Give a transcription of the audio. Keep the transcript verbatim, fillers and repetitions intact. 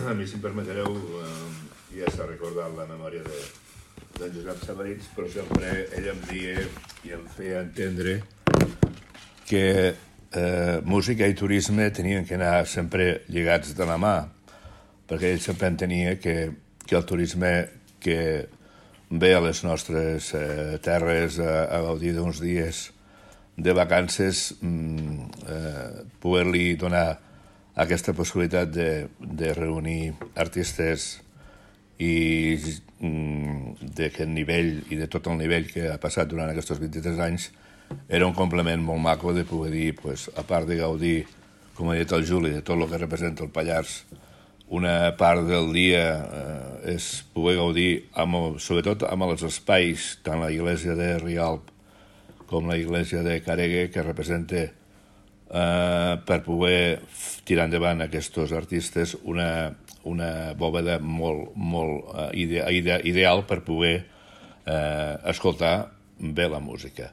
a mi, si em permetreu, eh, ja s'ha recordat la memòria de, d'en Josep Sabarits, però sempre ell em deia i em feia entendre que eh, música i turisme tenien que anar sempre lligats de la mà, perquè ell sempre entenia que, que el turisme que ve a les nostres eh, terres a, a gaudir d'uns dies de vacances, mm, eh, poder-li donar aquesta possibilitat de, de reunir artistes i mm, d'aquest nivell i de tot el nivell que ha passat durant aquests vint-i-tres anys era un complement molt maco de poder dir, pues, a part de gaudir, com ha dit el Juli, de tot el que representa el Pallars, una part del dia eh, és poder gaudir, amb, sobretot amb els espais, tant la iglesia de Rialp com la iglesia de Caregue, que representa eh, per poder tirar endavant aquests artistes una, una bòveda molt, molt eh, ide, ide, ideal per poder eh, escoltar bé la música.